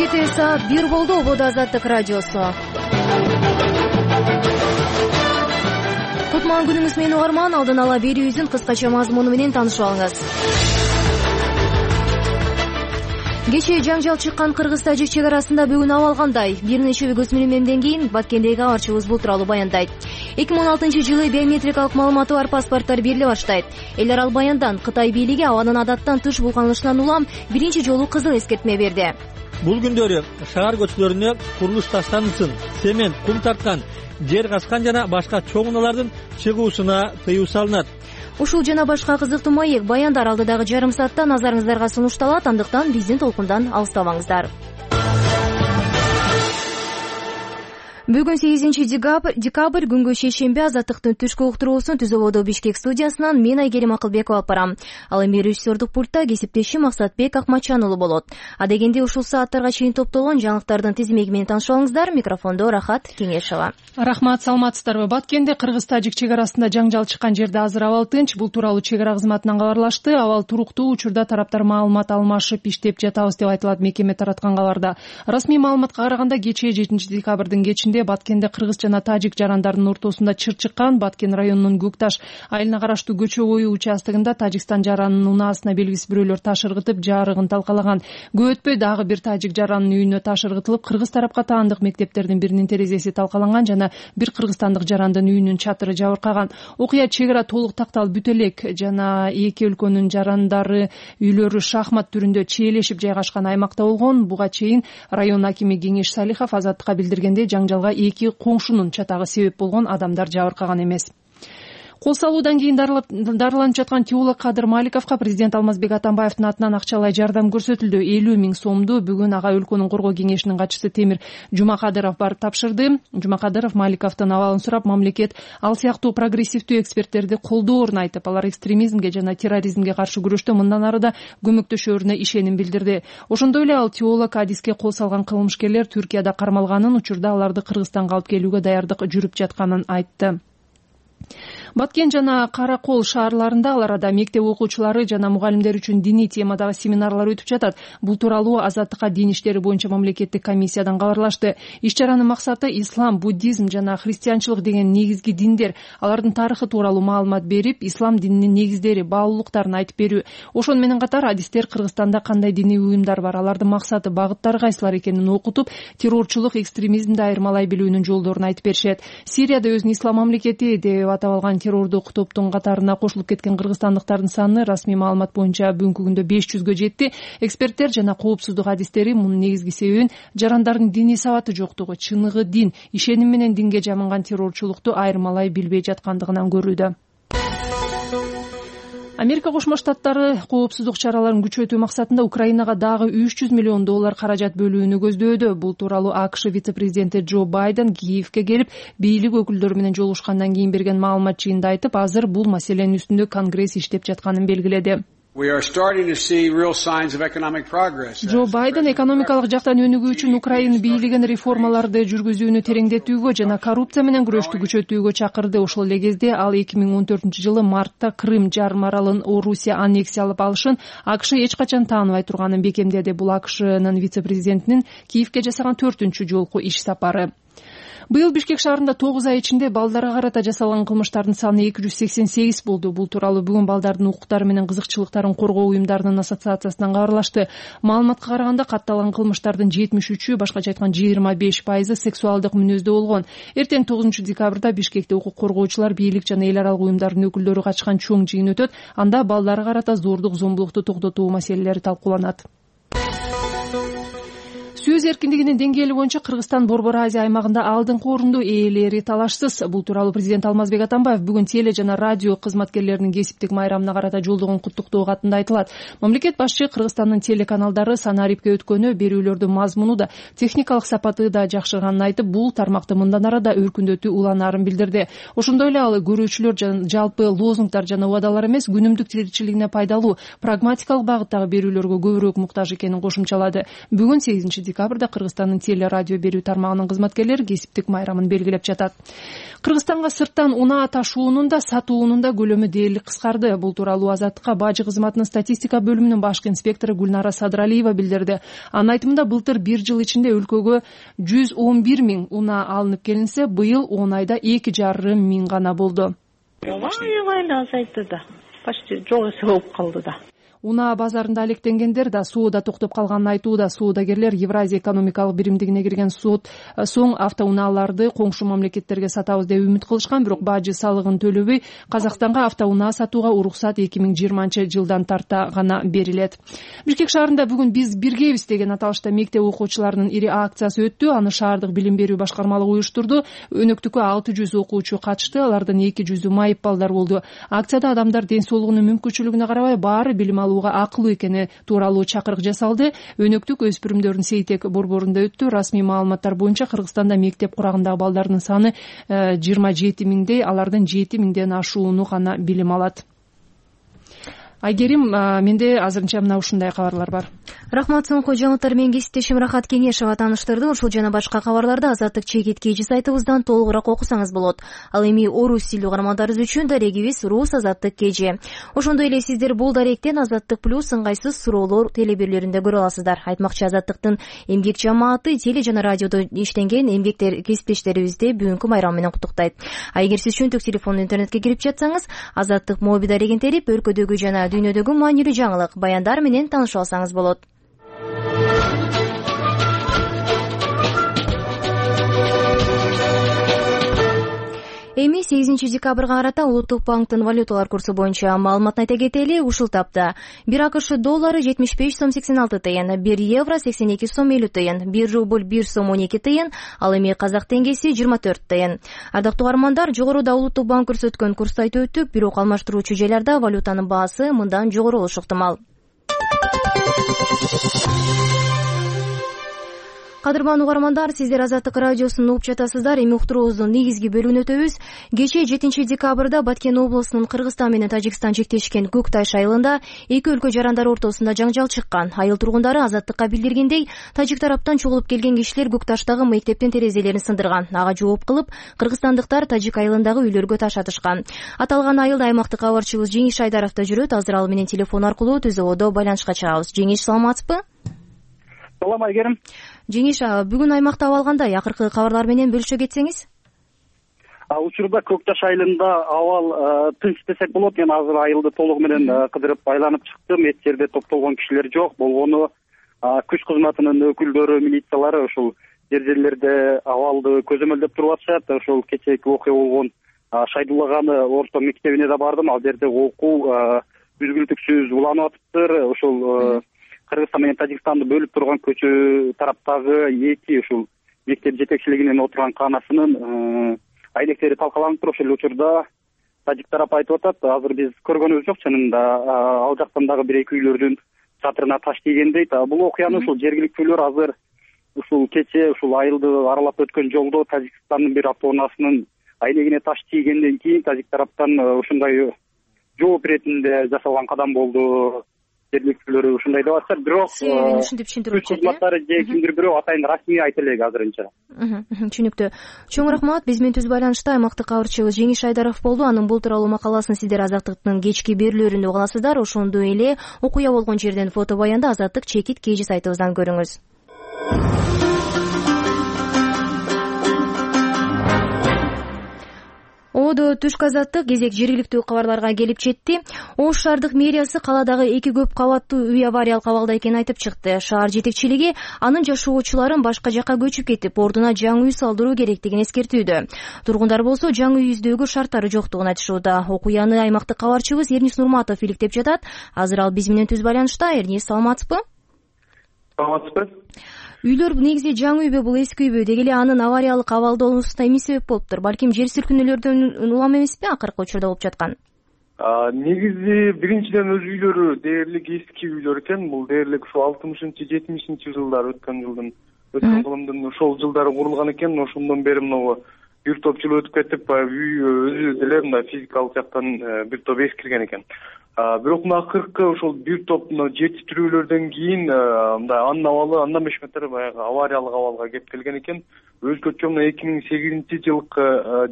Кечки саат 1 болду. Ободо Азаттык радиосу. Кутман күнүңүз менен угарман. Алдын ала берүүбүздүн кыскача мазмуну менен таанышып алыңыз. Кечээ жаңжал чыккан Кыргыз-Тажик чек арасында бүгүн абал кандай? Бир нече көзмөнөмдөн кийин Баткендеги кабарчыбыз бул тууралуу баяндайт. 2016-жылы биометрикалык маалыматы бар паспорттор бериле баштайт. Эл аралык баяндан Кытай бийлиги абанын адаттан тыш булганышынан улам биринчи жолу кызыл эскертме берди. Бул күндөрү шаар көчөлөрүнө курулуш таштанысын, цемент, кум тарткан, жер казкан жана башка чоң унаалардын чыгуусуна тыюу салынат. Ушул жана башка кызыктуу маек баяндар алдыдагы жарым саатта назарыңыздарга сунушталат. Андыктан биздин толкундан алыстабаңыздар. Бүгүн 8-декабрь күнгө шейшемби. Азаттыктын түшкү уктуруусун Түз Ободо Бишкек студиясынан мен Айгерим Акылбекова алып барам. Ал эми режиссердук пультта кесиптешим Максатбек Акматчан уулу болот. Адегенде ушул сааттарга чейин топтолгон жаңылыктардын тизмеги менен таанышып алыңыздар. Микрофондо Рахат Кеңешова. Рахмат, саламатсыздарбы? Баткенде Кыргыз-Тажик чек арасында жаңжал чыккан жерде азыр абал тынч. Бул тууралуу чек ара кызматынан кабарлашты. Абал туруктуу, учурда тараптар маалымат алмашып иштеп жатабыз деп айтылат мекеме тараткан кабарда. Расмий маалыматка караганда кечээ 7-декабрдын кечинде Баткенде кыргыз жана тажик жарандарынын ортосунда чыр чыккан. Баткен районунун Көкташ айылына караштуу көчө бою участогунда Тажикстан жаранынын унаасына белгисиз бирөөлөр таш ыргытып, жарыгын талкалаган. Көп өтпөй дагы бир тажик жаранынын үйүнө таш ыргытылып, кыргыз тарапка таандык мектептердин биринин терезеси талкаланган жана бир кыргызстандык жарандын үйүнүн чатыры жабыркаган. Окуя чек ара толук такталып бүтө элек жана эки өлкөнүн жарандары үйлөрү шахмат түрүндө чиелешип жайгашкан аймакта болгон. Буга чейин район акими Кеңеш Салихов Азаттыкка билдиргендей, жаңжалга эки коңшунун чатагы себеп болгон, адамдар жабыркаган эмес. Кол салуудан кийин дарыланып жаткан теолог Кадыр Маликовго президент Алмазбек Атамбаевдин атынан акчалай жардам көрсөтүлдү. 50 000 сомду бүгүн ага өлкөнүн коргоо кеңешинин катчысы Темир Жумакадыров барып тапшырды. Жумакадыров Маликовдун абалын сурап, мамлекет ал сыяктуу прогрессивдүү эксперттерди колдоорун айтып, алар экстремизмге жана терроризмге каршы күрөштө мындан ары да көмөктөшөрүнө ишеним билдирди. Ошондой эле ал теолог адиске кол салган кылмышкерлер Түркияда кармалганын, учурда аларды Кыргызстанга алып келүүгө даярдык жүрүп жатканын айтты. Баткен жана Кара Кол шаарларында ал арада мектеп окуучулары жана мугалимдер үчүн диний темадагы семинарлар өтүп жатат. Бул тууралуу Азаттыкка дин иштери боюнча мамлекеттик комиссиядан кабарлашты. Иш чаранын максаты ислам, буддизм жана христианчылык деген негизги диндер, алардын тарыхы тууралуу маалымат берип, ислам дининин негиздери, баалуулуктарын айтып берүү. Ошону менен катар адистер Кыргызстанда кандай диний уюмдар бар, алардын максаты, багыттары кайсылар экенин окутуп, террорчулук, экстремизмди айырмалай билүүнүн жолдорун айтып беришет. Сирияда өзүн ислам мамлекети деп атап алган террордук топтун катарына кошулуп кеткен кыргызстандыктардын саны расмий маалымат боюнча бүгүнкү күндө 500гө жетти. Эксперттер жана коопсуздук адистери мунун негизги себебин жарандардын диний сабаты жоктугу, чыныгы дин, ишеним менен динге жамынган террорчулукту айырмалай билбей жаткандыгынан көрүүдө. Америка Кошмо Штаттары коопсуздук чараларын күчөтүү максатында Украинага дагы $300 миллион каражат бөлүүнү көздөөдө. Бул тууралуу АКШ вице-президенти Джо Байден Киевке келип, бийлик өкүлдөрү менен жолугушкандан кийин берген маалымат жыйында айтып, азыр бул маселенин үстүндө Конгресс иштеп жатканын белгиледи. Джо Байден экономикалык жактан өнүгүү үчүн Украина бийлигин реформаларды жүргүзүүнү тереңдетүүгө жана коррупция менен күрөштү күчөтүүгө чакырды. Ошол эле кезде ал 2014-жылы мартта Крым жарым аралын Орусия аннексиялап алышын АКШ эч качан тааныбай турганын бекемдеди. Бул АКШнын вице-президентинин Киевке жасаган 4-чү жолку иш сапары. Быйыл Бишкек шаарында 9 ай ичинде балдарга карата жасалган кылмыштардын саны 288 болду. Бул тууралуу бүгүн балдардын укуктары менен кызыкчылыктарын коргоо уюмдарынын ассоциациясынан кабарлашты. Маалыматка караганда катталган кылмыштардын 73-ü, башкача айтканда 25% сексуалдык мүнөздө болгон. Эртең 9-декабрда Бишкекте укук коргоочулар, бийлик жана эл аралык уюмдардын өкүлдөрү катышкан чоң жыйын өтөт. Анда балдарга карата зордук, зомбулукту токтотуу маселелери талкууланат. Сөз эркиндигинин деңгээли боюнча Кыргызстан Борбор Азия аймагында алдыңкы орунду ээлери талашсыз. Бул тууралуу президент Алмазбек Атамбаев бүгүн теле жана радио кызматкерлеринин кесиптик майрамына карата жолдогон куттуктоо катында айтылат. Мамлекет башчы Кыргызстандын телеканалдары санарипке өткөнү, берүүлөрдүн мазмуну да, техникалык сапаты да жакшырганын айтып, бул тармакты мындан ары да өркүндөтүү уланаарын билдирди. Ошондой эле ал көрүүчүлөр жалпы лозунгдар жана убадалар эмес, күнүмдүк тиричилигине пайдалуу, прагматикалык багыттагы берүүлөргө көбүрөөк муктаж экенин кошумчалады. Бүгүн 8 декабрда Кыргызстандын теле радио берүү тармагынын кызматкерлери кесиптик майрамын белгилеп жатат. Кыргызстанга сырттан унаа ташуунун да сатуунун да көлөмү дээрлик кыскарды. Бул тууралуу Азаттыкка бажы кызматынын статистика бөлүмүнүн башкы инспектору Гүлнара Садыралиева билдирди. Анын айтымында былтыр 1 жыл ичинде өлкөгө 111 миң унаа алынып келинсе, быйыл 10 айда 2,5 миң гана болду. Аябай азайтты да. Почти жок эсе болуп калды да. Унаа базарында алектенгендер да сууда токтоп калганын айтууда. Соодагерлер Евразия экономикалык биримдигине кирген соң автоунааларды коңшу мамлекеттерге сатабыз деп үмүт кылышкан, бирок бажы салыгын төлөбөй Казакстанга автоунаа сатууга уруксат 2020-жылдан тарта гана берилет. Бишкек шаарында бүгүн биз биргебиз деген аталышта мектеп окуучуларынын ири акциясы өттү. Аны шаардык билим берүү башкармалыгы уюштурду. Өнөктүккө 600 окуучу катышты, алардан 200 майып балдар болду. Акцияда адамдар ден соолугунун мүмкүнчүлүгүнө карабай баары билим акылуу экени тууралуу чакырык жасалды. Өнөктүк өспүрүмдөрдүн Сейтек борборунда өттү. Расмий маалыматтар боюнча Кыргызстанда мектеп курагындагы балдардын саны 27 миңдей, алардын 7 миңден ашууну гана билим алат. Айгерим, менде азырынча мына ушундай кабарлар бар. Рахмат, соңку жаңылыктар менен кесиптешим Рахат Кеңешова тааныштырды. Ушул жана башка кабарларды Азаттык чекит KG сайтыбыздан толугураак окусаңыз болот. Ал эми орус тилдүү каармандарыбыз үчүн дарегибиз Рус Азаттык KG. Ошондой эле сиздер бул даректен Азаттык плюс ыңгайсыз суроолор телеберлеринде көрө аласыздар. Айтмакчы, Азаттыктын эмгек жамааты теле жана радиодо иштенген эмгектер кесиптештерибизди бүгүнкү майрам менен куттуктайт. Эгер сиз чөнтөк телефондон интернетке кирип жатсаңыз, Азаттык моби дарегин терип, өлкөдөгү жана дүйнөдөгү маанилүү жаңылык, баяндар менен таанышып алсаңыз болот. Эми 8 декабрга карата Улуттук банктын валюталар курсу боюнча маалыматын айта кетели. Ушул тапта 1 АКШ доллары 75 сом 86 тыйын, 1 евро 82 сом 50 тыйын, 1 рубль 1 сом 12 тыйын, ал эми казак теңгеси 24 тыйын. Ардактуу каармандар, жогоруда Улуттук банк көрсөткөн курсту айтып өттүк, бирок алмаштыруучу жайларда валютанын баасы мындан жогору болушу ыктымал. Кадырман угармандар, сиздер Азаттык радиосун угуп жатасыздар. Эми уктуруубуздун негизги бөлүгүнө өтөбүз. Кечээ 7 декабрда Баткен облусунун Кыргызстан менен Тажикстан чектешкен Көк Таш айылында эки өлкө жарандары ортосунда жаңжал чыккан. Айыл тургундары Азаттыкка билдиргендей, тажик тараптан чогулуп келген кишилер Көк Таштагы мектептин терезелерин сындырган. Ага жооп кылып, кыргызстандыктар тажик айылындагы үйлөргө таш атышкан. Аталган айылда аймактык кабарчыбыз Жеңиш Айдаров да жүрөт. Азыр ал менен телефон аркылуу түз абалда байланышка чыгабыз. Жеңиш, саламатсызбы? Салам, Айгерим. Жеңиш, бүгүн аймакта абал кандай? Акыркы кабарлар менен бөлүшө кетсеңиз. Учурда Көк Таш айылында абал тынч десек болот. Мен азыр айылды толугу менен кыдырып айланып чыктым. Эч жерде топтолгон кишилер жок. Болгону күч кызматынын өкүлдөрү, милициялары ушул жерлерде абалды көзөмөлдөп туруп атышат. Ошол кечээки окуя болгон Шайдуллаганы орто мектебине да бардым. Ал жерде окуу үзгүлтүксүз уланып атыптыр. Ошол Кыргызстан менен Тажикстанды бөлүп турган көчө тараптагы эки ушул мектеп жетекчилигинин отурган каанасынын айнектери талкаланып туруп, ошол учурда тажик тарап айтып атат. Азыр биз көргөнүбүз жок, чынында ал жактан дагы бир эки үйлөрдүн чатырына таш тийген дейт. Бул окуяны ушул жергиликтүүлөр азыр ушул кечээ ушул айылды аралап өткөн жолдо Тажикстандын бир автоунаасынын айнегине таш тийгенден кийин тажик тараптан ушундай жооп иретинде жасалган кадам болду. Жергиликтүүлөр ушундай деп атышат, бирок күч кызматтары же кимдир бирөө атайын расмий айта элек азырынча. Түшүнүктүү. Чоң рахмат. Биз менен түз байланышта аймактык кабарчыбыз Жеңиш Айдаров болду. Анын бул тууралуу макаласын сиздер Азаттыктын кечки берүүлөрүндө уга аласыздар. Ошондой эле окуя болгон жерден фото баянды Азаттык чекит KG сайтыбыздан көрүңүз. Одо түшкү азаттык кезек жергиликтүү кабарларга келип жетти. Ош шаардык мэриясы каладагы эки көп кабаттуу үй авариялык абалда экенин айтып чыкты. Шаар жетекчилиги анын жашоочуларын башка жакка көчүп кетип, ордуна жаңы үй салдыруу керектигин эскертүүдө. Тургундар болсо жаңы үй издөөгө шарттары жоктугун айтышууда. Окуяны аймактык кабарчыбыз Эрнис Нурматов иликтеп жатат. Азыр ал биз менен түз байланышта. Эрнис, саламатсызбы? Саламатсызбы? Үйлөр негизи жаңы үйбү, бул эски үйбү? Деги эле анын авариялык абалда болуусуна эмне себеп болуптур? Балким жер силкинүүлөрдөн улам эмеспи акыркы учурда болуп жаткан? Негизи биринчиден өз үйлөрү дээрлик эски үйлөр экен. Бул дээрлик ушу 60-70 жылдары өткөн кылымдын ошол жылдары курулган экен. Ошондон бери мына бир топ жыл өтүп кетип, үй өзү деле мына физикалык жактан бир топ эскирген экен. Бирок мына акыркы ошол бир топ жетиштирүүлөрдөн кийин мындай анын абалы андан бешметр баягы авариялык абалга кеп келген экен. Өзгөчө мына 2008-жылкы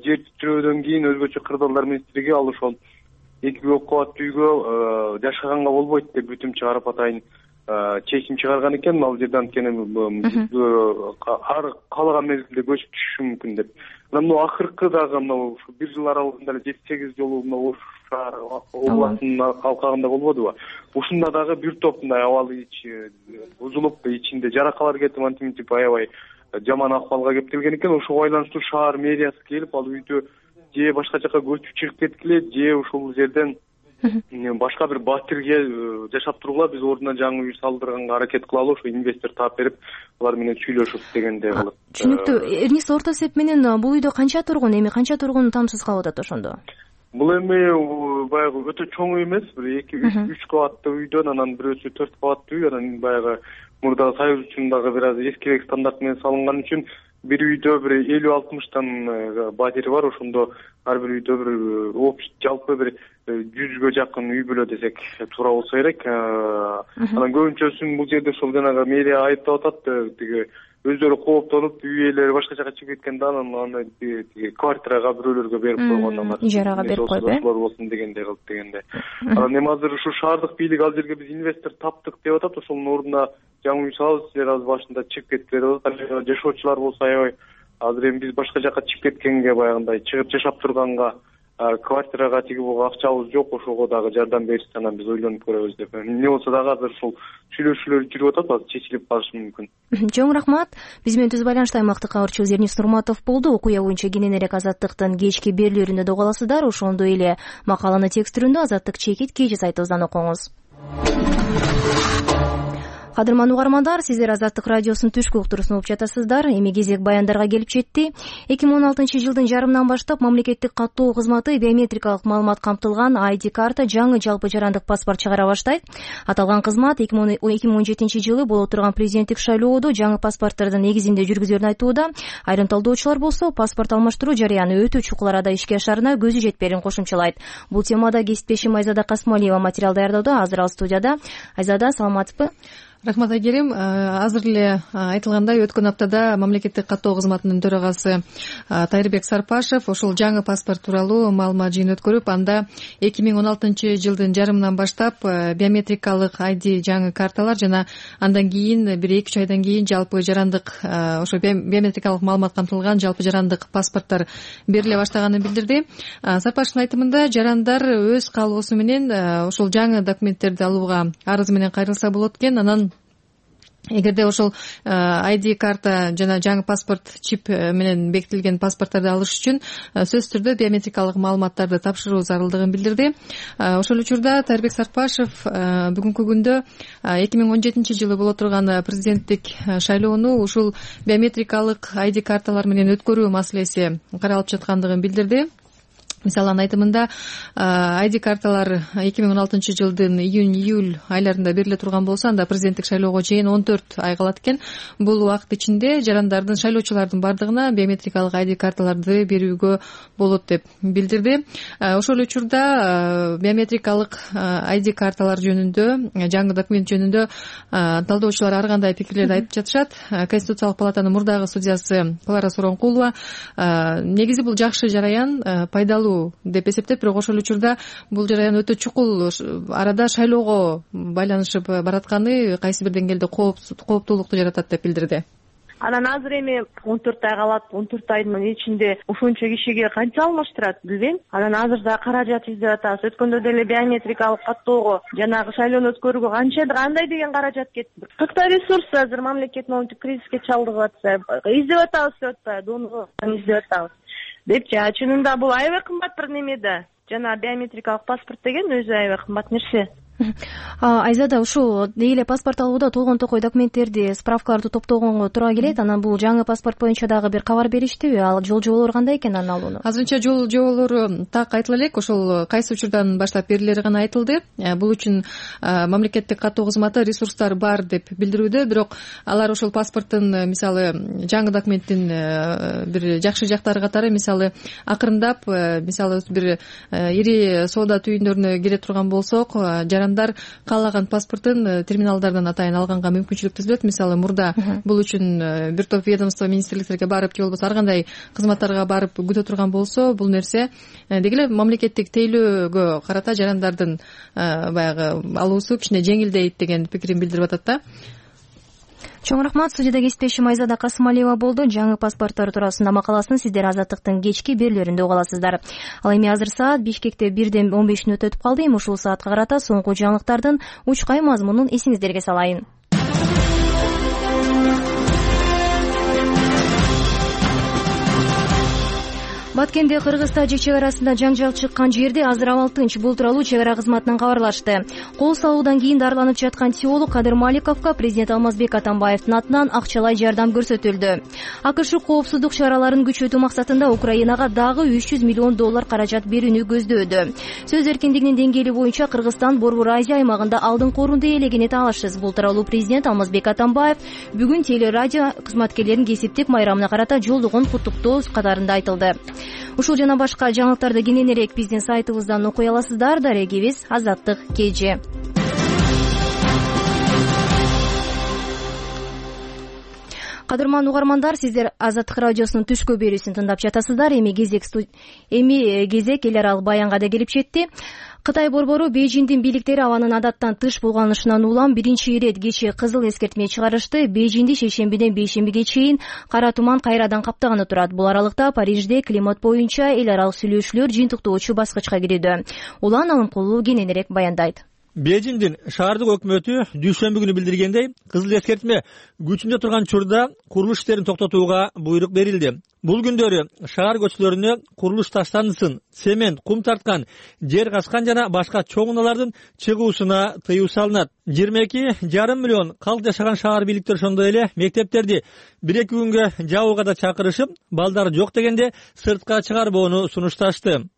жер титирөөдөн кийин өзгөчө кырдаалдар министрлиги ал ошол 2 көк кабаттуу үйгө жашаганга болбойт деп бүтүм чыгарып атайын чечим чыгарган экен. Ал жерден анткени ар каалаган мезгилде көчүп түшүшү мүмкүн деп. Мына акыркы дагы мына бир жыл аралыгында 7-8 жолу мына шаар областынын алкагында болбодубу? Ушунда дагы бир топ мындай абалы бузулуп, ичинде жаракалар кетип, антип аябай жаман акыбалга кеп келген экен. Ошого байланыштуу шаар мэриясы келип, ал үйдө же башка жака көчүп чыгып кеткиле, же ушул жерден башка бир батирге жашап тургула, биз ордуна жаңы үй салдырганга аракет кылалы, ошо инвестор таап берип, алар менен сүйлөшүп дегендей кылып. Түшүнүктүү. Эрнис, орто эсеп менен бул үйдө канча тургун, эми канча тургун тамсыз калып атат ошондо? Бул эми баягы өтө чоң үй эмес, бир 2-3 кабаттуу үйдөн анан бирөөсү 4 кабаттуу үй, анан баягы мурдагы союз үчүн дагы бир аз эскирээк стандарт менен салынган үчүн бир үйдө бир 50-60 батири бар. Ошондо ар бир үйдө бир жалпы бир 100гө жакын үй бүлө десек туура болсо керек. Анан көбүнчөсүн бул жерде ошол жанагы мэрия айыптап атат, тиги өздөрү кооптонуп, үй ээлери башка жака чыгып кеткенде анан квартирага бирөөлөргө берип койгон, ижарага берип коюп болсун дегендей кылып дегенде. Анан эми азыр ушу шаардык бийлик ал жерге биз инвестор таптык деп атат, ошонун ордуна жаңы үй салабыз, силер азыр башында чыгып кеткиле деп атат. Жашоочулар болсо аябай азыр эми биз башка жака чыгып кеткенге, баягындай чыгып жашап турганга квартирага тиги буга акчабыз жок, ошого дагы жардам беришсе анан биз ойлонуп көрөбүз деп. Эмне болсо дагы азыр ушул сүйлөшүүлөр жүрүп атат, азыр чечилип калышы мүмкүн. Чоң рахмат. Биз менен түз байланышта аймактык кабарчыбыз Эрнис Нурматов болду. Окуя боюнча кененирээк Азаттыктын кечки берүүлөрүндө да уга аласыздар. Ошондой эле макаланы текст түрүндө Азаттык чекит KG сайтыбыздан окуңуз. Кадырман угармандар, сиздер Азаттык радиосунун түшкү уктуруусун угуп жатасыздар. Эми кезек баяндарга келип жетти. 2016-жылдын жарымынан баштап мамлекеттик каттоо кызматы биометрикалык маалымат камтылган ID карта жаңы жалпы жарандык паспорт чыгара баштайт. Аталган кызмат 2017-жылы боло турган президенттик шайлоодо жаңы паспорттардын негизинде жүргүзүлөрүн айтууда. Айрым талдоочулар болсо паспорт алмаштыруу жарыяны өтө чукул арада ишке ашарына көзү жетпээрин кошумчалайт. Бул темада кесиптешим Айзада Касмалиева материал даярдоодо. Азыр ал студияда. Айзада, саламатсызбы? Рахмат Айгерим. Азыр эле айтылгандай, өткөн аптада мамлекеттик каттоо кызматынын төрагасы Тайырбек Сарпашев ошол жаңы паспорт тууралуу маалымат жыйын өткөрүп, анда 2016-жылдын жарымынан баштап биометрикалык ID жаңы карталар жана андан кийин бир 2-3 айдан кийин жалпы жарандык ошо биометрикалык маалымат камтылган жалпы жарандык паспорттор бериле баштаганын билдирди. Сарпашевдин айтымында жарандар өз каалоосу менен ошол жаңы документтерди алууга арыз менен кайрылса болот экен. Анан эгерде ошол ID карта жана жаңы паспорт чип менен бекитилген паспорттарды алыш үчүн сөзсүз түрдө биометрикалык маалыматтарды тапшыруу зарылдыгын билдирди. Ошол учурда Тайырбек Сарпашев бүгүнкү күндө 2017-жылы боло турган президенттик шайлоону ушул биометрикалык ID карталар менен өткөрүү маселеси каралып жаткандыгын билдирди. Мисалы, анын айтымында ID карталар 2016-жылдын июнь-июль айларында бериле турган болсо, анда президенттик шайлоого чейин 14 ай калат экен. Бул убакыт ичинде жарандардын, шайлоочулардын бардыгына биометрикалык ID карталарды берүүгө болот деп билдирди. Ошол учурда биометрикалык ID карталар жөнүндө, жаңы документ жөнүндө талдоочулар ар кандай пикирлерди айтып жатышат. Конституциялык палатанын мурдагы судьясы Клара Суронкулова негизи бул жакшы жараян, пайдалуу деп эсептеп, бирок ошол учурда бул жараян өтө чукул арада шайлоого байланышып баратканы кайсы бир деңгээлде кооптуулукту жаратат деп билдирди. Анан азыр эми 14 ай калат, 14 айдын ичинде ушунча кишиге канча алмаштырат билбейм. Анан азыр да каражат издеп атабыз. Өткөндө деле биометрикалык каттоого, жанагы шайлоону өткөрүүгө кандай деген каражат кетти. Кыркта ресурс азыр мамлекет монетик кризиске чалдыгып атса, издеп атабыз деп атпайбы, донор издеп атабыз депчи. Чынында бул аябай кымбат бир неме да. Жана биометрикалык паспорт деген өзү аябай кымбат нерсе. Айзада, ушул эле паспорт алууда толгон токой документтерди, справкаларды топтогонго туура келет. Анан бул жаңы паспорт боюнча дагы бир кабар бериштиби? Ал жол жоболору кандай экен анын алууну? Азырынча жол жоболору так айтыла элек, ошол кайсы учурдан баштап берилери гана айтылды. Бул үчүн мамлекеттик каттоо кызматы ресурстар бар деп билдирүүдө, бирок алар ошол паспорттун мисалы жаңы документтин бир жакшы жактары катары, мисалы акырындап, мисалы бир ири соода түйүндөрүнө кире турган болсок, жарандар каалаган паспортун терминалдардан атайын алганга мүмкүнчүлүк түзүлөт. Мисалы мурда бул үчүн бир топ ведомство, министрликтерге барып же болбосо ар кандай кызматтарга барып күтө турган болсо, бул нерсе деги эле мамлекеттик тейлөөгө карата жарандардын баягы алуусу кичине жеңилдейт деген пикирин билдирип атат да. Чоң рахмат. Студияда кесиптешим Айзада Касымалиева болду. Жаңы паспорттор туурасында макаласын сиздер Азаттыктын кечки берүүлөрүндө уга аласыздар. Ал эми азыр саат Бишкекте 1:15 өтүп калды. Эми ушул саатка карата соңку жаңылыктардын учкай мазмунун эсиңиздерге салайын. Баткенде Кыргыз-Тажик чек арасында жаңжал чыккан жерде азыр абал тынч. Бул тууралуу чек ара кызматынан кабарлашты. Кол салуудан кийин дарыланып жаткан теолог Кадыр Маликовго президент Алмазбек Атамбаевдин атынан акчалай жардам көрсөтүлдү. АКШ коопсуздук чараларын күчөтүү максатында Украинага дагы $300 миллион каражат берүүнү көздөөдү. Сөз эркиндигинин деңгээли боюнча Кыргызстан Борбор Азия аймагында алдыңкы орунду ээлегени таалашсыз. Бул тууралуу президент Алмазбек Атамбаев бүгүн телерадио кызматкерлеринин кесиптик майрамына карата жолдогон куттуктоо катарында айтылды. Ушул жана башка жаңылыктарды кененирээк биздин сайтыбыздан окуй аласыздар. Дарегибиз Азаттык KG. Кадырман угармандар, сиздер Азаттык радиосунун түшкү берүүсүн тыңдап жатасыздар. Эми кезек эл аралык баянга да келип жетти. Кытай борбору Бейжиңдин бийликтери абанын адаттан тыш булганышынан улам биринчи ирет кечээ кызыл эскертме чыгарышты. Бейжиңди шейшембиден бейшембиге чейин кара туман кайрадан каптаганы турат. Бул аралыкта Парижде климат боюнча эл аралык сүйлөшүүлөр жыйынтыктоочу баскычка кирүүдө. Улан Алымкулуу кененирээк баяндайт. Бейжиңдин шаардык өкмөтү дүйшөмбү күнү билдиргендей, кызыл эскертме күчүндө турган учурда курулуш иштерин токтотууга буйрук берилди. Бул күндөрү шаар көчөлөрүнө курулуш таштандысын, цемент, кум тарткан, жер казкан жана башка чоң унаалардын чыгуусуна тыюу салынат. 22,5 миллион калк жашаган шаар бийликтери ошондой эле мектептерди 1-2 күнгө жабууга да чакырышып, балдар жок дегенде сыртка чыгарбоону сунушташты.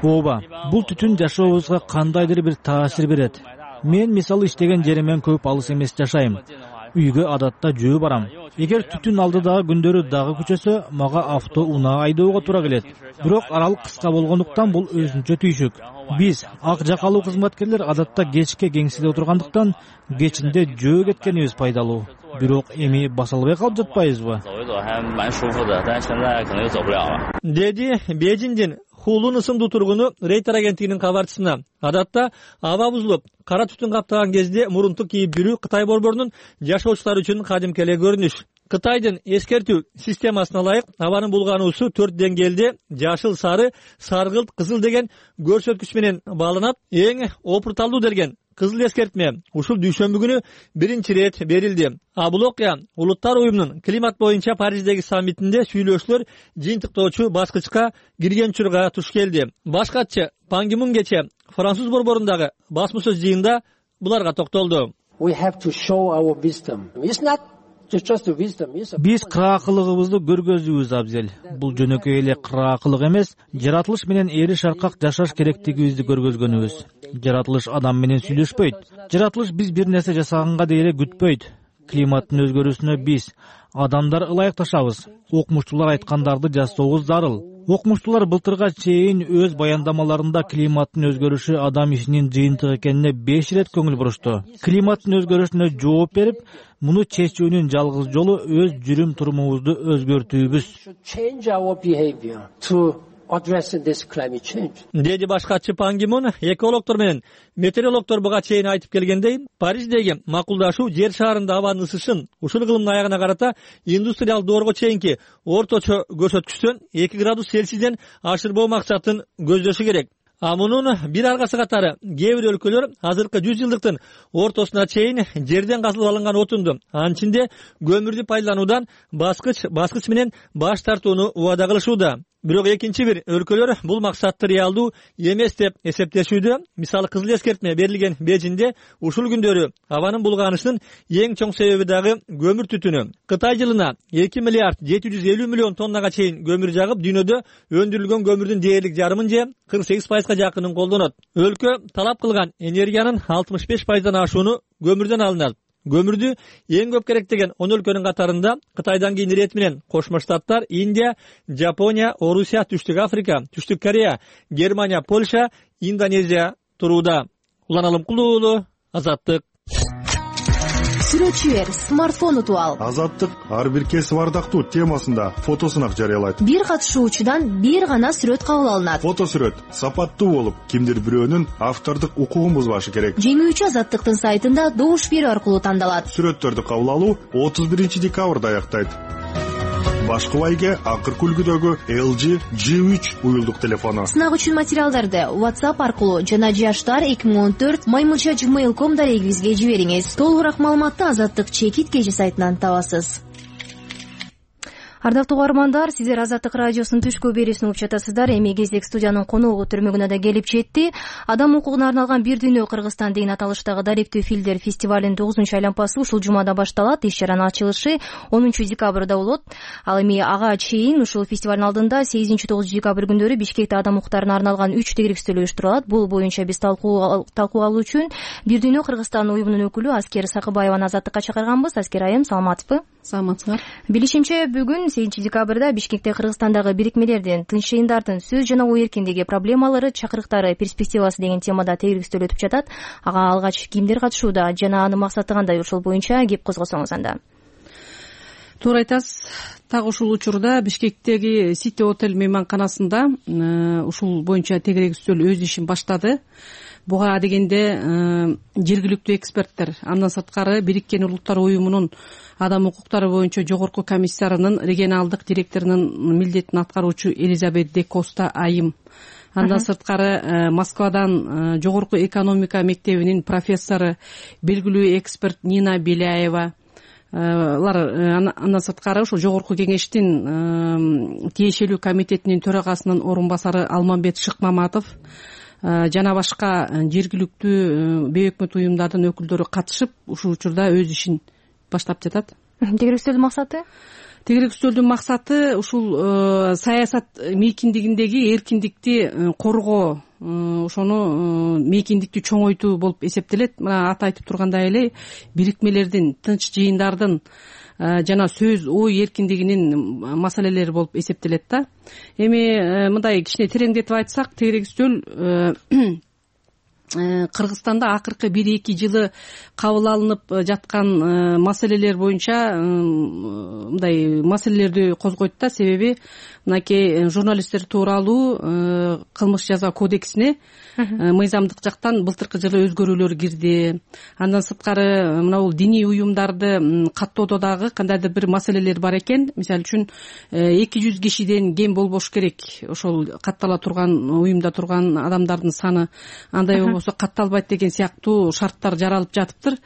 Ооба, бул түтүн жашообузга кандайдыр бир таасир берет. Мен мисалы иштеген жеримен көп алыс эмес жашайм. Үйгө адатта жөө барам. Эгер түтүн алдыдагы күндөрү дагы күчөсө, мага авто унаа айдоого туура келет. Бирок аралык кыска болгондуктан бул өзүнчө түйшүк. Биз ак жакалуу кызматкерлер адатта кечке кеңседе отургандыктан кечинде жөө кеткенибиз пайдалуу. Бирок эми баса албай калып жатпайбызбы? Деди Бейжиңдин Хулун ысымдуу тургуну Рейтер агенттигинин кабарчысына. Адатта аба бузулуп, кара түтүн каптаган кезде мурунтук кийип жүрүү Кытай борборунун жашоочулары үчүн кадимки эле көрүнүш. Кытайдын эскертүү системасына ылайык абанын булгануусу 4 деңгээлде жашыл, сары, саргылт, кызыл деген көрсөткүч менен бааланат. Эң опурталдуу делген кызыл эскертме ушул дүйшөмбү күнү биринчи ирет берилди. Бул окуя Улуттар уюмунун климат боюнча Париждеги саммитинде сүйлөшүүлөр жыйынтыктоочу баскычка кирген учурга туш келди. Башкачы Пан Ги Мун кече Француз борборундагы басма сөз жыйында буларга токтолду. Биз кыраакылыгыбызды көргөзүүбүз абзел. Бул жөнөкөй эле кыраакылык эмес, жаратылыш менен эри шаркак жашаш керектигибизди көргөзгөнүбүз. Жаратылыш адам менен сүйлөшпөйт. Жаратылыш биз бир нерсе жасаганга дейре күтпөйт. Климаттын өзгөрүүсүнө биз адамдар ылайыкташабыз. Окумуштуулар айткандарды жасообуз зарыл. Окумуштуулар былтырга чейин өз баяндамаларында климаттын өзгөрүшү адам ишинин жыйынтыгы экенине 5 ирет көңүл бурушту. Климаттын өзгөрүшүнө жооп берип, муну чечүүнүн жалгыз жолу өз жүрүм турумубузду өзгөртүүбүз. Деди башкачы Пан Ги Мун экологдор менен метеорологдор буга чейин айтып келгендей, Париждеги макулдашуу жер шарында абанын ысышын ушул кылымдын аягына карата индустриалдык доорго чейинки орточо көрсөткүчтөн 2 градус Цельсийден ашырбоо максатын көздөшү керек. Мунун бир аргасы катары кээ бир өлкөлөр азыркы 100 жылдыктын ортосуна чейин жерден казылып алынган отунду, анын ичинде көмүрдү пайдалануудан баскыч менен баш тартууну убада кылышууда. Бирок экинчи бир өлкөлөр бул максатты реалдуу эмес деп эсептешүүдө. Мисалы кызыл эскертме берилген Бейжиңде ушул күндөрү абанын булганышынын эң чоң себеби дагы көмүр түтүнү. Кытай жылына 2 миллиард 750 миллион тоннага чейин көмүр жагып, дүйнөдө өндүрүлгөн көмүрдүн дээрлик жарымын же 48%га жакынын колдонот. Өлкө талап кылган энергиянын 65%дан ашууну көмүрдөн алынат. Көмүрдү эң көп керектеген 10 өлкөнүн катарында Кытайдан кийин ирет менен Кошмо Штаттар, Индия, Жапония, Орусия, Түштүк Африка, Түштүк Корея, Германия, Польша, Индонезия турууда. Улан Алымкулуу, Азаттык. Сүрөтчүлөр смартфон утуп ал. Азаттык ар бир кесип ардактуу темасында фотосунак жарыялайт. Бир катышуучудан бир гана сүрөт кабыл алынат. Фотосүрөт сапаттуу болуп, кимдир бирөөнүн автордук укугун бузбашы керек. Жеңүүчү Азаттыктын сайтында добуш берүү аркылуу тандалат. Сүрөттөрдү кабыл алуу 31 декабрда аяктайт. Башкы байге акыркы үлгүдөгү LG G3 уюлдук телефону. Сынак үчүн материалдарды WhatsApp аркылуу жана jashtar2014@gmail.com дарегибизге жибериңиз. Толугураак маалыматты Азаттык чекит кежи сайтынан табасыз. Ардактуу угармандар, сиздер Азаттык радиосунун түшкү берүүсүн угуп жатасыздар. Эми кезек студиянын коногу түрмөгүнө да келип жетти. Адам укугуна арналган Бир дүйнө Кыргызстан деген аталыштагы даректүү фильмдер фестивалинин 9-айланпасы ушул жумада башталат. Иш чаранын ачылышы 10 декабрда болот. Ал эми ага чейин ушул фестивалдын алдында 8-9 декабрь күндөрү Бишкекте адам укуктарына арналган 3 тегерек стөл уюштурулат. Бул боюнча биз талкуу алуу үчүн Бир дүйнө Кыргызстан уюмунун өкүлү Аскер Сакыбаеваны Азаттыкка чакырганбыз. Аскер айым, саламатсызбы? Саламатсыздар. Билишимче, бүгүн 8 декабрда Бишкекте Кыргызстандагы бирикмелердин, тынч жыйындардын сөз жана ой эркиндиги проблемалары, чакырыктары, перспективасы деген темада тегерек стөл өтүп жатат. Ага алгач кимдер катышууда жана анын максаты кандай, ошол боюнча кеп козгосоңуз анда. Туура айтасыз. Так ушул учурда Бишкектеги Сити Отель мейманканасында ушул боюнча тегерек стөл өз ишин баштады. Буга дегенде жергиликтүү эксперттер, андан сырткары Бириккен Улуттар уюмунун адам укуктары боюнча жогорку комиссарынын регионалдык директорунун милдетин аткаруучу Элизабет де Коста айым, андан сырткары Москвадан жогорку экономика мектебинин профессору, белгилүү эксперт Нина Беляева, андан сырткары ушул жогорку кеңештин тиешелүү комитетинин төрагасынын орун басары Алмамбет Шыкмаматов жана башка жергиликтүү бейөкмөт уюмдардын өкүлдөрү катышып ушул учурда өз ишин баштап жатат. Тегерек стөлдүн максаты? Тегерек стөлдүн максаты ушул саясат мейкиндигиндеги эркиндикти коргоо, ошону мейкиндикти чоңойтуу болуп эсептелет. Мына аты айтып тургандай эле бирикмелердин, тынч жыйындардын жана сөз ой эркиндигинин маселелери болуп эсептелет да. Эми мындай кичине тереңдетип айтсак, тегерек стөл Кыргызстанда акыркы 1-2 жылы кабыл алынып жаткан маселелер боюнча мындай маселелерди козгойт да. Себеби мынакей журналисттер тууралуу кылмыш жаза кодексине мыйзамдык жактан былтыркы жылы өзгөрүүлөр кирди. Андан сырткары мына бул диний уюмдарды каттоодо дагы кандайдыр бир маселелер бар экен. Мисалы үчүн 200 кишиден кем болбош керек ошол каттала турган уюмда турган адамдардын саны, андай болбосо катталбайт деген сыяктуу шарттар жаралып жатыптыр.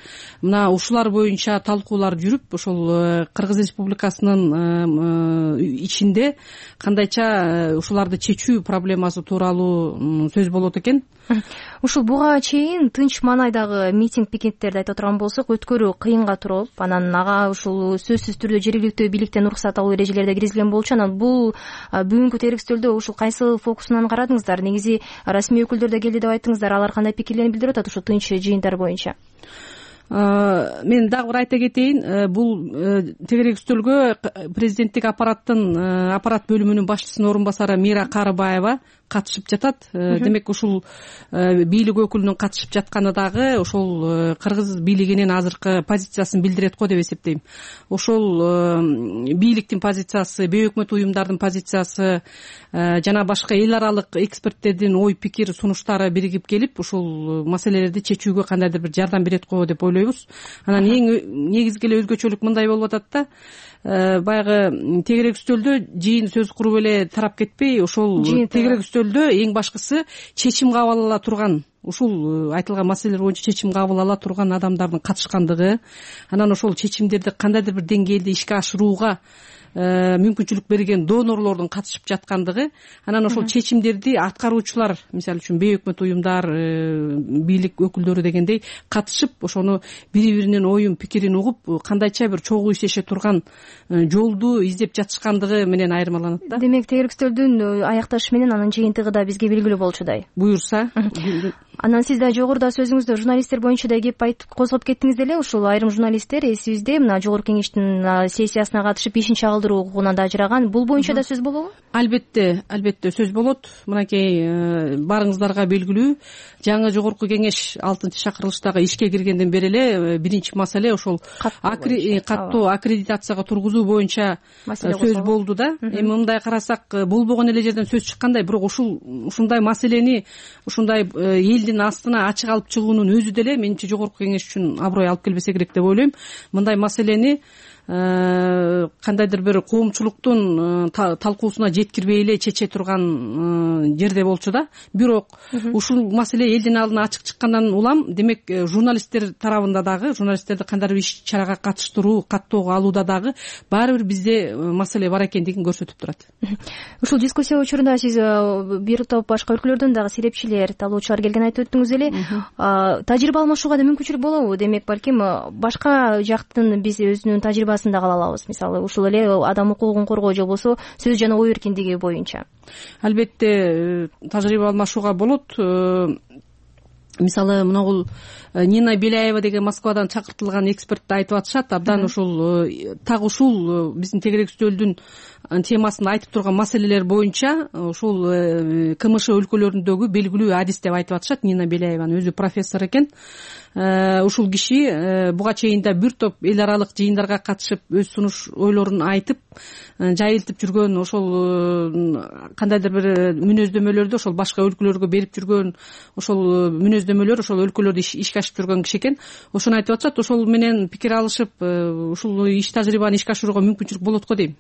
Мына ушулар боюнча талкуулар жүрүп, ошол Кыргыз Республикасынын ичинде кандайча ушуларды чечүү проблемасы тууралуу сөз болот экен. Ушул буга чейин тынч маанайдагы митинг-пикеттерди айта турган болсок, өткөрүү кыйынга туруп, анан ага ушул сөзсүз түрдө жергиликтүү бийликтен уруксат алуу эрежелери да киргизилген болчу. Анан бул бүгүнкү тегерек стөлдө ушул кайсы фокусунан карадыңыздар? Негизи расмий өкүлдөр да келди деп айттыңыздар. Алар кандай пикирлерин билдирип атат ушул тынч жыйындар боюнча? Мен дагы бир айта кетейин, бул тегерек стөлгө президенттик аппарат бөлүмүнүн башчысынын орун басары Мира Карыбаева катышып жатат. Демек ушул бийлик өкүлүнүн катышып жатканы дагы ошол кыргыз бийлигинин азыркы позициясын билдирет го деп эсептейм. Ошол бийликтин позициясы, бейөкмөт уюмдардын позициясы жана башка эл аралык эксперттердин ой пикир сунуштары биригип келип ушул маселелерди чечүүгө кандайдыр бир жардам берет го деп ойлойбуз. Анан эң негизги эле өзгөчөлүк мындай болуп атат да, баягы тегерек стөлдө жыйын сөз куруп эле тарап кетпей, ошол тегерек стөлдө эң башкысы чечим кабыл ала турган ушул айтылган маселелер боюнча чечим кабыл ала турган адамдардын катышкандыгы, анан ошол чечимдерди кандайдыр бир деңгээлде ишке ашырууга мүмкүнчүлүк берген донорлордун катышып жаткандыгы, анан ошол чечимдерди аткаруучулар, мисалы үчүн бейөкмөт уюмдар, бийлик өкүлдөрү дегендей катышып, ошону бири биринин оюн пикирин угуп, кандайча бир чогуу иштеше турган жолду издеп жатышкандыгы менен айырмаланат да. Демек тегеректөөлдүн аякташы менен анын жыйынтыгы да бизге белгилүү болчудай. Буюрса. Анан сиз да жогоруда сөзүңүздө журналисттер боюнча да кеп козгоп кеттиңиз эле. Ушул айрым журналисттер эсибизде мына жогорку кеңештин сессиясына катышып ишин чагылдыруу укугунан да ажыраган. Бул боюнча да сөз болобу? Албетте сөз болот. Мынакей баарыңыздарга белгилүү, жаңы жогорку кеңеш 6-шакырылыштагы ишке киргенден бери эле биринчи маселе ошол каттоо аккредитацияга тургузуу боюнча сөз болду да. Эми мындай карасак болбогон эле жерден сөз чыккандай, бирок ушундай маселени ушундай элдин астына ачык алып чыгуунун өзү деле менимче жогорку кеңеш үчүн аброй алып келбесе керек деп ойлойм. Мындай маселени кандайдыр бир коомчулуктун талкуусуна жеткирбей эле чече турган жерде болчу да. Бирок ушул маселе элдин алдына ачык чыккандан улам, демек журналисттер тарабында дагы, журналисттерди кандайдыр бир иш чарага катыштыруу, каттоого алууда дагы баары бир бизде маселе бар экендигин көрсөтүп турат. Ушул дискуссия учурунда сиз бир топ башка өлкөлөрдөн дагы серепчилер, талоочулар келген айтып өттүңүз эле. Тажрыйба алмашууга да мүмкүнчүлүк болобу? Демек балким башка жактын биз өзүнүн тажрыйбасын да ала алабыз. Мисалы ушул эле адам укугун коргоо же болбосо сөз жана ой эркиндиги боюнча. Албетте тажрыйба алмашууга болот. Мисалы мына Нина Беляева деген Москвадан чакыртылган эксперт айтып атышат. Абдан ушул так ушул биздин тегерек үстөлдүн темасында айтып турган маселелер боюнча ушул КМШ өлкөлөрүндөгү белгилүү адис деп айтып атышат. Нина Беляеванын өзү профессор экен. Ушул киши буга чейин да бир топ эл аралык жыйындарга катышып өз сунуш ойлорун айтып, жайылтып жүргөн, ошол кандайдыр бир мүнөздөмөлөрдү ошол башка өлкөлөргө берип жүргөн, ошол мүнөздөмөлөр ошол өлкөлөрдө ишке ашып жүргөн киши экен. Ошону айтып атышат. Ошол менен пикир алышып, ушул иш тажрыйбаны ишке ашырууга мүмкүнчүлүк болот го дейм.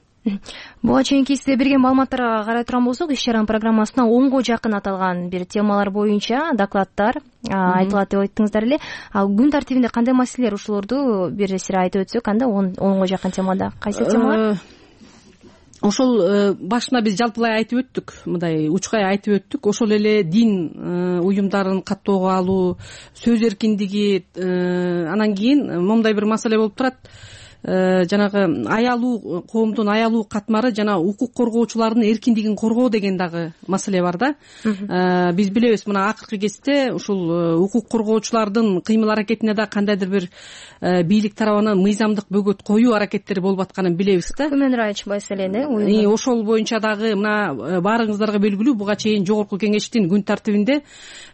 Буга чейинки сизге берген маалыматтарга карай турган болсок, иш чаранын программасына 10го жакын аталган бир темалар боюнча докладдар айтылат деп айттыңыздар эле. Күн тартибинде кандай маселелер, ушулорду бир сире айтып өтсөк, анда 10го жакын темада кайсы темалар? Ошол башында биз жалпылай айтып өттүк, мындай учкай айтып өттүк. Ошол эле дин уюмдарын каттоого алуу, сөз эркиндиги, анан кийин момундай бир маселе болуп турат. Жанагы аялуу, коомдун аялуу катмары жана укук коргоочулардын эркиндигин коргоо деген дагы маселе бар да. Биз билебиз, мына акыркы кезде ушул укук коргоочулардын кыймыл аракетине да кандайдыр бир бийлик тарабынан мыйзамдык бөгөт коюу аракеттери болуп атканын билебиз да. Human Rights маселени ошол боюнча дагы мына баарыңыздарга белгилүү, буга чейин жогорку кеңештин күн тартибинде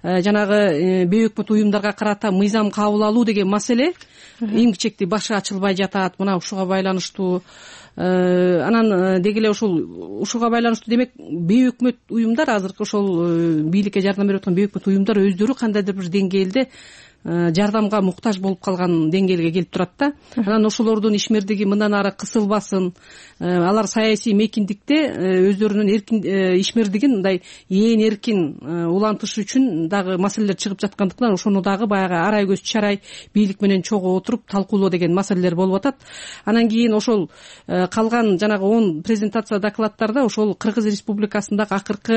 жанагы бейөкмөт уюмдарга карата мыйзам кабыл алуу деген маселе эмгичекти башы ачылбай жатат. Мына ушуга байланыштуу анан деги эле ушуга байланыштуу демек бейөкмөт уюмдар, азыркы ошол бийликке жардам берип аткан бейөкмөт уюмдар өздөрү кандайдыр бир деңгээлде жардамга муктаж болуп калган деңгээлге келип турат да. Анан ошолордун ишмердиги мындан ары кысылбасын, алар саясий мейкиндикте өздөрүнүн эркин ишмердигин мындай ээн эркин улантыш үчүн дагы маселелер чыгып жаткандыктан ошону дагы баягы арай көз чарай бийлик менен чогуу отуруп талкуулоо деген маселелер болуп атат. Анан кийин ошол калган жанагы 10 презентация докладдарда ошол Кыргыз Республикасындагы акыркы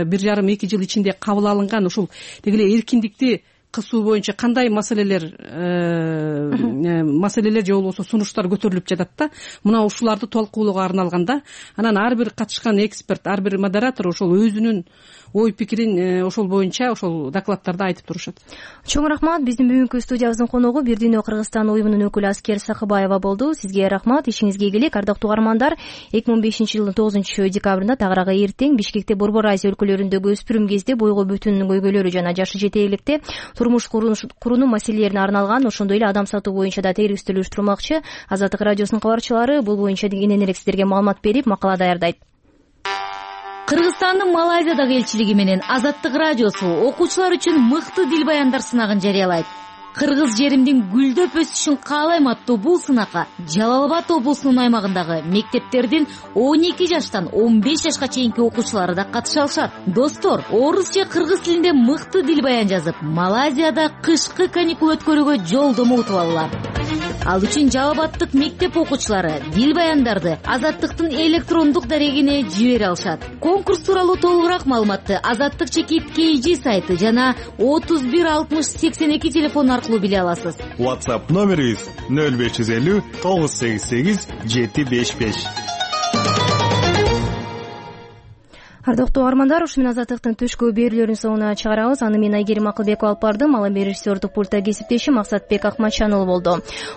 1,5-2 жыл ичинде кабыл алынган ушул деги эле эркиндикти кысуу боюнча кандай маселелер же болбосо сунуштар көтөрүлүп жатат да. Мына ушуларды талкуулоого арналган да. Анан ар бир катышкан эксперт, ар бир модератор ошол өзүнүн ой пикирин ошол боюнча ошол докладдарда айтып турушат. Чоң рахмат. Биздин бүгүнкү студиябыздын коногу Бир дүйнө Кыргызстан уюмунун өкүлү Аскер Сакыбаева болду. Сизге рахмат, ишиңизге ийгилик. Ардактуу угармандар, 2005-жылдын 9-декабрында тагыраагы эртең Бишкекте Борбор Азия өлкөлөрүндөгү өспүрүм кезде бойго бүтүн көйгөйлөрү жана жашы жетээликте турмуш куруу маселелерине арналган, ошондой эле адам сатуу боюнча да тегерек үстөл уюштурмакчы. Азаттык радиосунун кабарчылары бул боюнча кенен эле сиздерге маалымат берип, макала даярдайт. Кыргызстандын Малайзиядагы элчилиги менен Азаттык радиосу окуучулар үчүн мыкты дил баяндар сынагын жарыялайт. Кыргыз жеримдин гүлдөп өсүшүн каалайм аттуу бул сынакка Жалал Абад облусунун аймагындагы мектептердин 12 жаштан 15 жашка чейинки окуучулары да катыша алышат. Достор, орус же кыргыз тилинде мыкты дил баян жазып, Малайзияда кышкы каникул өткөрүүгө жолдомо утуп алалар. Ал үчүн Жалал Абадтык мектеп окуучулары дил баяндарды Азаттыктын электрондук дарегине жибере алышат. Конкурс тууралуу толугураак маалыматты Азаттык чекит KG сайты жана 31 60 82 телефон аркылуу биле аласыз. WhatsApp номерибиз 0550 988 755. Ардактуу угармандар, ушу менен Азаттыктын түшкү берүүлөрүнүн соңуна чыгарабыз. Аны мен Айгерим Акылбекова алып бардым. Ал эми режиссердук пультта кесиптешим Максатбек Акматжанұлы болду.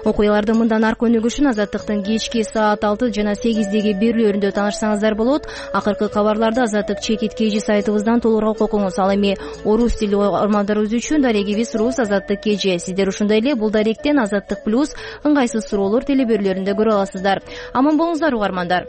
Окуяларды мындан аркы өнүгүшүн Азаттыктын кечки саат 6 жана 8деги берүүлөрүндө таанышсаңыздар болот. Акыркы кабарларды Азаттык чекит KG сайтыбыздан толугураак окуңуз. Ал эми орус тили угармандарыбыз үчүн дарегибиз Рус Азаттык KG. Сиздер ушундай эле бул даректен Азаттык плюс ыңгайсыз суроолор телеберүүлөрүндө көрө аласыздар. Аман болуңуздар угармандар.